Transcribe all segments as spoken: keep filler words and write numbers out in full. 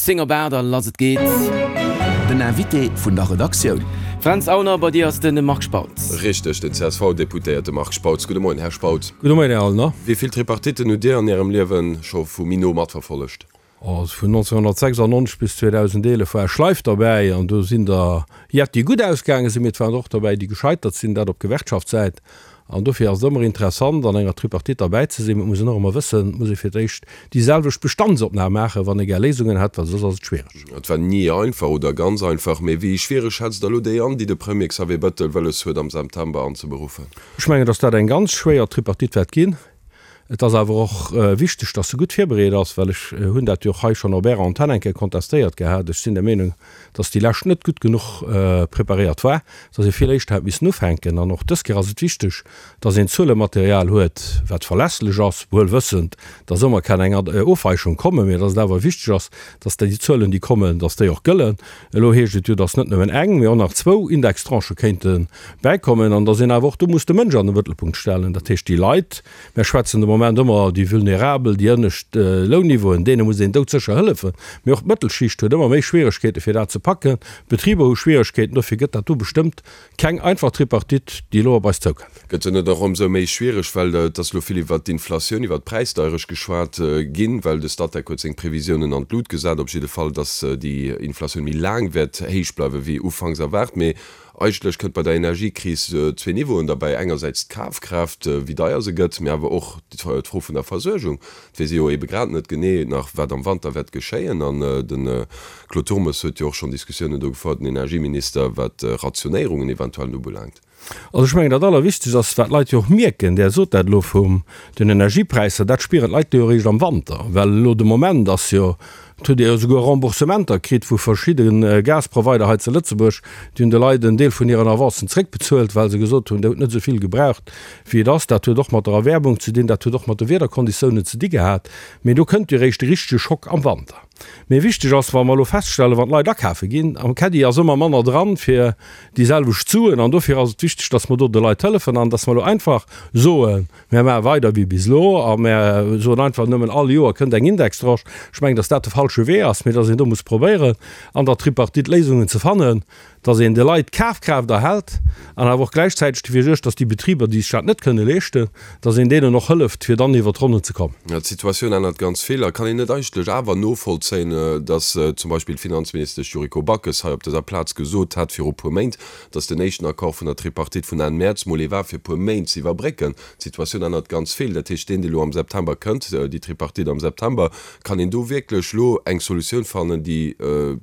Zéng op aacht a lass et geet. Den Invité vun der Redaktioun. Fränz Aulner, bei dir ass de Marc Spautz. Richteg, den C S V-Deputéierte Marc Spautz. Gudde Moien, Här Spautz. Gudde Moien, Här Aulner. Wéi vill Tripartitten hutt Dir an Ärem Liewe scho vu méi no matverfollegt? Also vun nonzénghonnertsechsandneunzeg bis zweedausendeelef war ech live derbäi an do sinn der jett, déi gutt ausgaange sinn, mee et waren der och derbäi, déi gescheitert sinn, dat op Gewerkschaftssäit. An dofir ass et ëmmer interessant, an enger Tripartite derbäi ze sinn. Mee et muss een och ëmmer wëssen, et muss ee fir d'éischt déi selwecht Bestandsopnam maachen, wann ee gär Léisungen hätt, well soss ass et schwiereg. Et war ni einfach oder ganz einfach. Mee wéi schwiereg schätzt Der elo déi an, déi de Premier Xavier Bettel wëlles huet am September anzeberuffen? Ech mengen, datt dat eng ganz schwéier Tripartite wäert ginn. Et ass awer och wichteg, datt se gutt virbereet ass, well ech hunn dat jo och hei schonn op Ärer Antenn eng Kéier kontestéiert gehat. Ech sinn der Meenung, datt déi lescht net gutt genuch preparéiert war, datt ee vill éischter hätt missen ufänken. An och dës Kéier ass et wichteg, datt een Zuelematerial huet, wat verlässlech ass, wuel wëssend, datt ëmmer kann eng Ofweichung kommen, mee datt et awer wichteg ass, datt déi Zuelen, déi kommen, datt déi och gëllen. Elo heescht et jo, datt net nëmmen eng, mee och nach zwou Indextranchë kéinte bäikommen an datt een awer och do muss de Mënsch an de Mëttelpunkt stellen, dat heescht déi Leit, Mär schwätzen de Moment ëmmer déi Vulnerabel, déi ënnescht Lounniveauen, deene muss een doudsécher hëllefen. Mee och d'Mëttelschicht huet ëmmer méi Schwieregkeete fir dat ze packen. D'Betriber hu Schwieregkeeten. Dofir gëtt dat do bestëmmt keng einfach Tripartite, déi elo op eis zoukënnt. Gëtt se net och ëmsou méi schwiereg, well et ass elo vill iwwert d'Inflatioun, iwwert d'Präisdeierecht geschwat ginn, well de Statec huet seng Previsiounen an d'Lut gesat, op jidde Fall, datt déi Inflatioun méi laang wäert héich bleiwe wéi ufanks erwaart. Mee Eigentlech kënnt bei der Energiekris zwee Niveauen derbäi, engersäits d'Kafkraaft, wéi deier se gëtt, mee awer och d'Fro vun der Versuergung. Et weess ee jo ebe grad net genee nach, wat am Wanter wäert geschéien. An de Claude Turmes huet jo och schonn Diskussiounen do gefouert, den Energieminister, wat Rationéierungen eventuell ubelaangt. Also ech mengen, dat Allerwichtegst ass, wat d'Leit jo och mierken, Där sot dat elo vum den Energiepräisser, dat spieren d'Leit jo eréischt am Wanter, well elo de Moment ass jo, et huet ee jo esouguer Remboursementer kritt vu verschidde Gasprovider hei zu Lëtzebuerg, déi hunn de Leit en Deel vun hiren Avancen zréckbezuelt, well se gesot hunn, Dir hutt net esou vill gebraucht, wéi et ass. Dat huet och mat der Erwäermung ze dinn, dat huet och mat de Wiederkonditiounen ze di gehat. Mee do kënnt jo eréischt de richtege Schock am Wanter. Mee wichteg ass, wa mer elo feststellen, wann d'Leit akafe ginn, am Caddie ass ëmmer manner dran fir déi selwecht Suen. An dofir ass et wichteg, dass mer do de Leit hëllefen an dass mer elo einfach soen, Mär maache weider wéi bis elo a mär soen einfach nëmmen, all Joer kënnt eng Indextranche. Ech mengen, dass dat de falsche Wee ass, mee dass een do muss probéieren, an der Tripartite Léisungen ze fannen, dass een de Leit d'Kafkraaft erhält an awer och gläichzäiteg dofir suergt, dass déi Betriber, déi sech dat net kënne leeschten, dass een deenen och hëlleft, fir dann iwwer d'Ronnen ze kommen. Jo, d'Situatioun ännert ganz vill. A kann een net eigentlech awer novollzéien, dass zum Beispill d'Finanzministesch Yuriko Backes hei op dëser Plaz gesot hat viru puer Méint, dass den éischten Accord vun der Tripartite vun Enn Mäerz mol ee war, fir e puer Méint ze iwwerbrécken? D'Situatioun ännert ganz vill. Dat heescht, deen, dee lo am September kënnt, déi Tripartite am September, kann een do wierklech lo eng Solutioun fannen, déi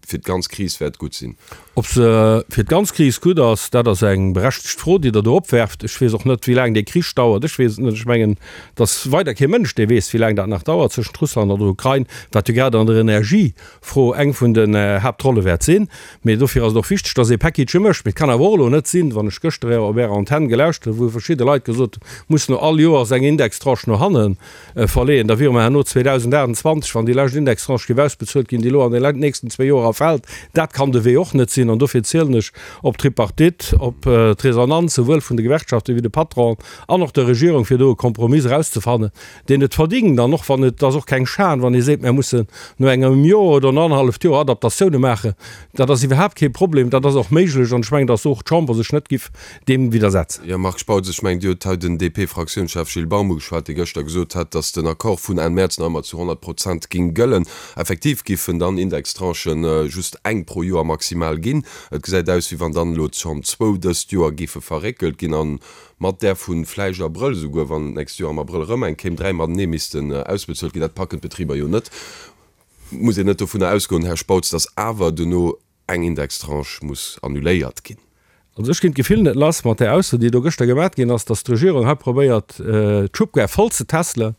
fir d'ganz Kris wäert gutt sinn? Ob se fir d'ganz Kris gutt ass, dat ass eng berechtegt Fro, déi Der do opwerft. Ech weess och net, wéi laang dee Krich dauert. Ech weess et net. Ech mengen, et ass weider kee Mënsch, dee weess, wéi laang dat nach dauert tëschent Russland an der Ukrain, wat jo grad an der Energiefro eng vun den Haaptrolle wäert sinn. Mee dofir ass et och wichteg, dass ee Package mécht. Mee et kann awer och elo net sinn, wann ech gëschter op Ärer Antenn gelauschtert hunn, wou verschidde Leit gesot hunn, muss no all Joers eng Indextranche no hanne verleeën, da wiere mer herno zweedausendaachtundzwanzeg, wann déi lescht Indextranche géif ausbezuelt ginn, déi elo an den nächsten zwee Joer erfält. Dat kann de Wee och net sinn. An dofir zielen ech op d'Tripartite, op d'Resonanz souwuel vun de Gewerkschaften wéi de Patronen an och der Regierung, fir do e Kompromiss erauszefannen, deen et verdingt. An och wann et ass och keng Schan, wann ee seet, mir mussen no engem Joer oder no annerhalleft Joer Adaptatioune maachen. Dat ass iwwerhaapt kee Problem, dat ass och méiglech. An ech mengen, datt och d'Chamber sech net giff deem widdersetzen. Jo, Marc Spautz, ech mengen, Dir hutt hei den D P-Fraktiounschef Gilles Baum ugeschwat, dee gëschter gesot hat, datt den Accord vun Enn Mäerz nach ëmmer zu honnert Prozent ging gëllen. Effektiv giffen dann Indextranchen just eng pro Joer maximal ginn. Et gesäit aus, wéi wann dann elo schonn zwou dëst Joer géife verréckelt ginn an mat där vu vläicht Abrëll, esouguer wann d'nächst Joer am Abrëll erëm eng kéim, dräi matenee missten ausbezuelt ginn. Dat packen d'Betriber jo net. Muss een net dovunner ausgoen, Här Spautz, datt awer duerno eng Indextranche muss annuléiert ginn? Also ech ginn d'Gefill net lass mat där Ausso, déi do gëschter gemat ginn ass, datt d'Regierung hei probéiert, d'Schubkar voll ze tässelen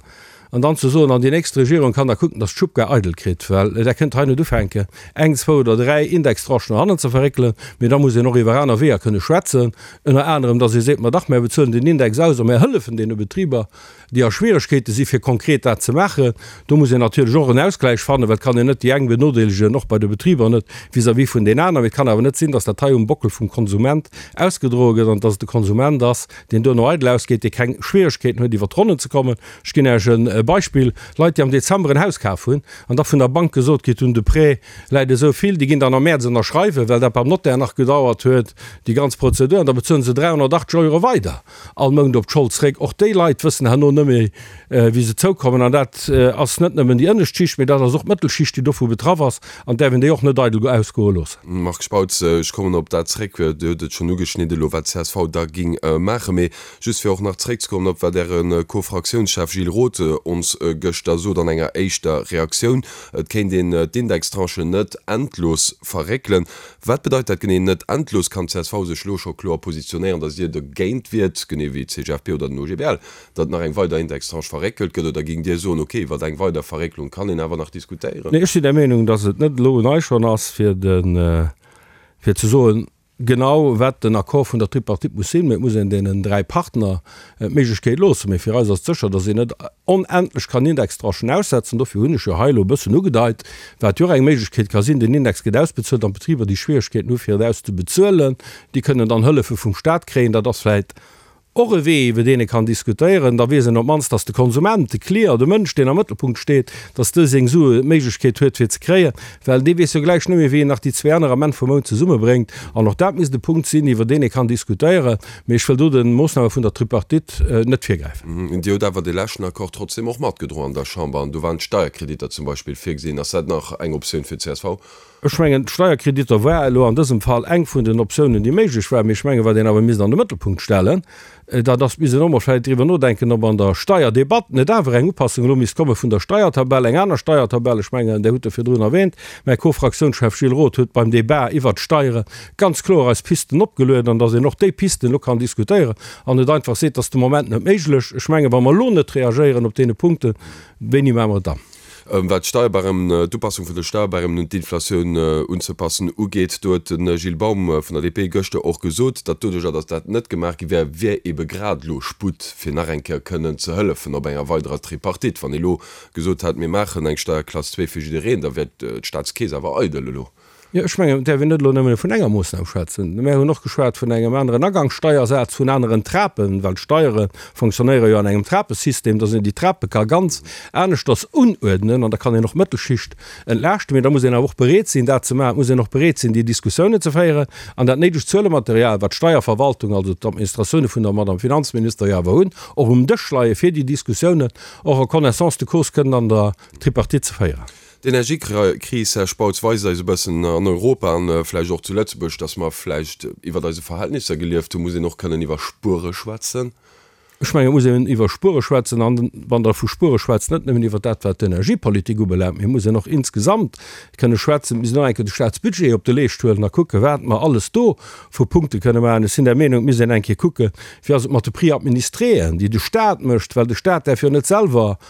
an dann ze soen, an déi nächst Regierung kann da kucken, datt d'Schubkar eidel kritt, well Der kënnt hei net ufänken, eng, zwou oder dräi Indextranchen no hannen ze verréckelen, mee da muss een och iwwer aner Weeër kënne schwätzen, ënner anerem, datt ee seet, ma dach, mär bezuelen den Index aus a mär hëllefen deene Betriber, déi a Schwieregkeete si fir konkret dat ze maachen. Do muss een natierlech och en Ausgläich fannen, well et kann een net déi eng benodeelegen, och bei de Betriber net vis-à-vis vun den aneren. Mee et kann awer net sinn, datt dat hei um Bockel vum Konsument ausgedroe gëtt an datt et de Konsument ass, deen duerno eidel ausgeet, dee keng Schwieregkeeten huet iwwert d'Ronnen ze kommen. Ech ginn Iech e Beispill, Leit, déi am Dezember en Haus kaf hunn an da vun der Bank gesot kritt hunn, de Prêt läit esou vill, déi ginn dann am Mäerz ënnerschreiwen, well dat beim Notaire nach gedauert huet, déi ganz Prozedur, an da bezuelen se dräihonnertachtzeg Euro weider all Mount op d'Schold zréck. Och déi Leit wëssen herno net méi, wéi se zoukommen. An dat ass net nëmmen déi ënnescht Schicht, mee dat ass och d'Mëttelschicht, déi dovu betraff ass an däerf een déi och net eidel ausgoe loossen. Marc Spautz, Ech kommen op dat zréck, Dir hutt et schonn ugeschnidde elo, wat d'CSV da géing maachen. Mee just fir och nach zréckzekommen op wat Äre Co-Fraktiounschef Gilles Roth ons gëschter sot an enger éischter Reaktioun, et kéint een d'Indextranchen net endlos verréckelen. Wat bedeit dat genee, net endlos? Kann d'CSV sech elo scho kloer positionéieren, datt Dir dogéint wiert, genee wéi d'CGFP oder den OGBL, datt nach eng weider Indextranche verréckelt gëtt? Oder géingt Dir soen, ok, iwwer eng weider Verrécklung kann een awer nach diskutéieren? Nee, ech sinn der Meenung, datt et net elo un eis schonn ass, fir de, fir ze soen, genau wat den Accord vun der Tripartite muss sinn, mee et muss een deenen dräi Partner d'Méiglechkeet loossen. Mee fir eis ass et sécher, datt een net onendlech kann Indextranchen aussetzen. Dofir hunn ech jo hei elo e bëssen ugedeit, wat jo och eng Méiglechkeet ka sinn, Den Index gëtt ausbezuelt an d'Betriber, déi Schwieregkeeten hu fir et auszebezuelen, déi kënnen dann Hëllefe vum Stat kréien. Dat ass vläicht Och e Wee, iwwer deen ee kann diskutéieren. Da weess een op d'mannst, dass de Konsument, de Client, de Mënsch, deen am Mëttelpunkt steet, dass dee seng Sue, d'Méiglechkeet huet, fir ze kréien, well dee weess jo gläich net méi, wéi en nach déi zwee aner am Enn vum Mount zesummebréngt. An och dat misst e Punkt sinn, iwwer deen ee kann diskutéieren. Mee ech wëll do de Moossname vun der Tripartite net virgräifen. Dir hutt awer dee leschten Accord trotzdem och matgedroen an der Chamber, an do waren d'Steierkreditter zum Beispill virgesinn. Ass dat nach eng Optioun fir d'CSV? Ech mengen, d'Steierkreditter war elo an dësem Fall eng vun den Optiounen, déi méiglech war. Mee ech mengen, wat een awer misst an de Mëttelpunkt stellen, dat ass, misst een och mol vläicht driwwer nodenken, ob an der Steierdebatt net awer eng Upassung elo misst komme vun der Steiertabell, eng aner Steiertabell. Ech mengen, Dir hutt e virdrun erwähnt, mäi Co-Fraktiounschef Gilles Roth huet beim Débat iwwert d'Steiere ganz kloer eis Pisten opgelueden, an datt een och déi Pisten elo kann diskutéieren an net einfach seet, dat ass de Moment net méiglech. Ech mengen, wa mer elo net reagéieren op deene Punkten, wéini maache mer et dann? Wat d'Steierbarèmen, d'Upassung vun de Steierbarèmen un d'Inflatioun unzepassen ugeet, do huet de Gilles Baum vun der DP gëschter och gesot, datt doduerjer, datt dat net gemaach gi wär, wär ebe grad elo Sputt, fir nach eng Kéier kënnen ze hëllefen op enger weiderer Tripartite. Wann ee elo gesot hätt, mir maachen eng Steierklass zwee fir jiddereen, da wär d'Staatskeess awer eidel elo. Jo, ech mengen, et däerf een net elo nëmme vun enger Moossnam schwätzen. Mär hunn och geschwat vun engem aneren Agangssteiersaz, vun aneren Trapen, well d'Steiere fonctionnéiere jo an engem Trapesystem, dass een déi Trape ka ganz aneschters unuerdnen an da kann een och d'Mëttelschicht entlaaschten. Mee da muss een awer och bereet sinn, dat ze maachen. Et muss een och bereet sinn, déi Diskussiounen ze féieren an dat néidegt Zuelematerial, wat d'Steierverwaltung, also d'Administratioune vun der Madame Finanzminister jo awer hunn, och um Dësch leie fir déi Diskussiounen och en connaissance de cause kënnen an der Tripartite ze féieren. D'Energiekris, Här Spautz, weist eis e bëssen an Europa an vläicht och zu Lëtzebuerg, datt mer vläicht iwwert eise Verhältnisser gelieft hunn. Muss een och kënnen iwwer Spuere schwätzen? Ech mengen, et muss een iwwer Spuere schwätzen an, wann Der vu Spuere schwätzt, net nëmmen iwwer dat, wat d'Energiepolitik ubelaangt, mee et muss een och insgesamt kënne schwätzen. Et misst een och eng Kéier de Staatsbudget op de Leescht huelen a kucken, wat mer alles do vu Punkte kënne maachen. Ech sinn der Meenung, et misst een eng Kéier kucken, wéi ass et mat de Prix administréen, déi de Staat mécht, well de Staat däerf jo net selwer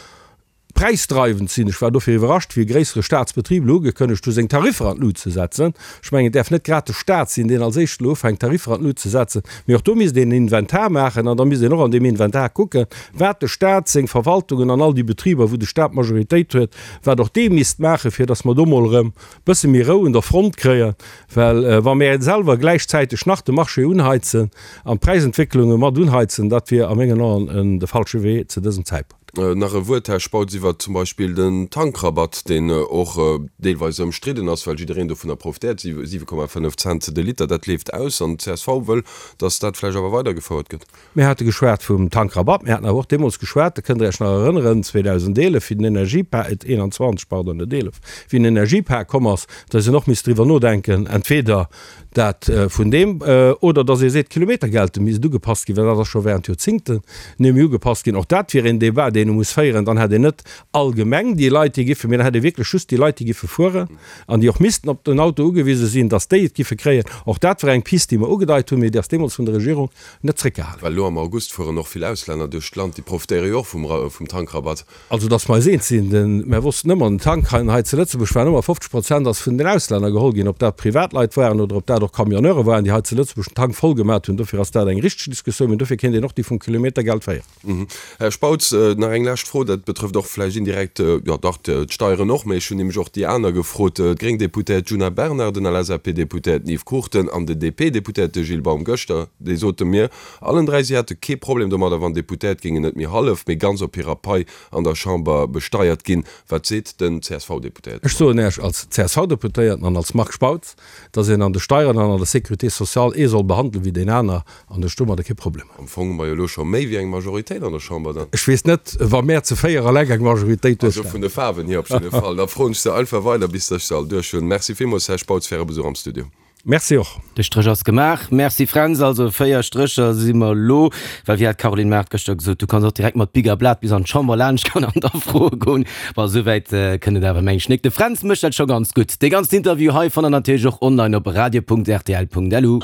präisdreiwend sinn. Ech war dofir iwwerrascht, wéi e gréissere Staatsbetrib elo ugekënnegt hu seng Tariffer an d'Lut ze setzen. Ech mengen, et däerf net grad de Staat sinn, deen als éischten elo ufänkt, Tariffer an d'Lut ze setzen. Mee och do misst een en Inventar maachen an da misst een och an deem Inventar kucken, wat de Staat, seng Verwaltungen an all déi Betriber, wou de Staat d'Majoritéit huet, wat och dee misst maachen, fir datt mer do mol erëm e bësse méi Rou un der Front kréien. Well wa mir selwer gläichzäiteg nach de Marché unheizen an d'Präisentwécklunge mat unheizen, dat wier a mengen Aen de falsche Wee zu dësem Zäitpunkt. Nach e Wuert, Här Spautz, iwwer zum Beispill den Tankrabatt, deen och deelweis ëmstridden ass, well jiddereen dovunner profitéiert, siwe Komma fënnef Cent de Liter, dat leeft aus an d'CSV wëll, datt dat vläicht awer weidergefouert gëtt. Mir hate geschwat vum Tankrabatt, mir haten awer och deemools geschwat, dat kënnt Der Iech nach erënneren, zweedausendeelef, wéi den Energiepak, eenanzwanzeg, pardon, net eelef, wéi den Energiepak komm ass, datt een och misst driwwer nodenken, entweder dat vun deem, oder datt ee seet, d'Kilometergelte misst ugepasst ginn, well dat ass scho während Joerzingten némme ugepasst ginn. Och dat wier een Débat, deen ee muss féieren. Dann hätt een net allgemeng déi Leit, déi giffe, mee dann hätt ee wierklech just déi Leit, déi giffe fueren an déi och missten op den Auto ugewise sinn, datt déi et giffe kréien. Och dat war eng Pist, déi mer ugedeit hunn, mee déi ass deemools vun der Regierung net zréckgehale ginn. Well elo am August fueren och vill Auslänner duerch d'Land, déi profitéiere jo och vum Tankrabatt. Also datt mer eis eens sinn, den, mer wossten ëmmer, den Tank hei hei zu Lëtzebuerg waren ëmmer fofzeg Prozent ass vun den Auslänner geholl ginn, ob dat Privatleit waren oder ob dat och Camionneure waren, déi hei zu Lëtzebuerg den Tank voll gemat hunn. Dofir ass dat eng richteg Diskussioun, mee dofir kéint een och déi vum Kilometergeld féieren. Här Spautz, Nach eng lescht Fro, dat betrëfft och vläicht indirekt, jo dach, d'Steieren och, mä ech hunn nämlech och déi aner gefrot, d'gréng Deputéiert Djuna Bernard, den LSAP-Deputéierten Yves Cruchten an den DP-Deputéierte Gilles Baum gëschter, déi sote mir allen dräi, si hätte kee Problem domadder, wann Deputéiert géingen net méi hallef, mee ganz op hirer Pai an der Chamber besteiert ginn. Wat seet den C S V-Deputéierten? Ech soen Iech als C S V-Deputéierten an als Marc Spautz, dass een an de Steieren an an der Sécurité sociale ee soll behandelen wéi deen aner, an ech domadder kee Problem. Am Fong hu mer jo elo scho méi wéi eng Majoritéit an der Chamber dann. Ech weess net, wa mär ze véier eleng eng Majoritéit Also duerstellen. Vun de Faarwen hier op jidde Fall. Da froen ech se einfach weider, bis ech se all duerch hunn. Merci villmools, Här Spautz, fir Äre Besuch am Studio. Merci och. De Stréch ass gemaach. Merci Fränz. Also véier Strécher si mer elo, well wéi hat d'Caroline Mart gëschter gesot, du kanns och direkt mat Bic a Blat bis an d'Chamber laanscht goen an da froe goen. Bon, esouwäit kënnt et awer mengen ech nik. De Fränz mécht dat scho ganz gutt. Dee ganzen Interview hei fannt der natierlech och online op radio Punkt rtl Punkt lu.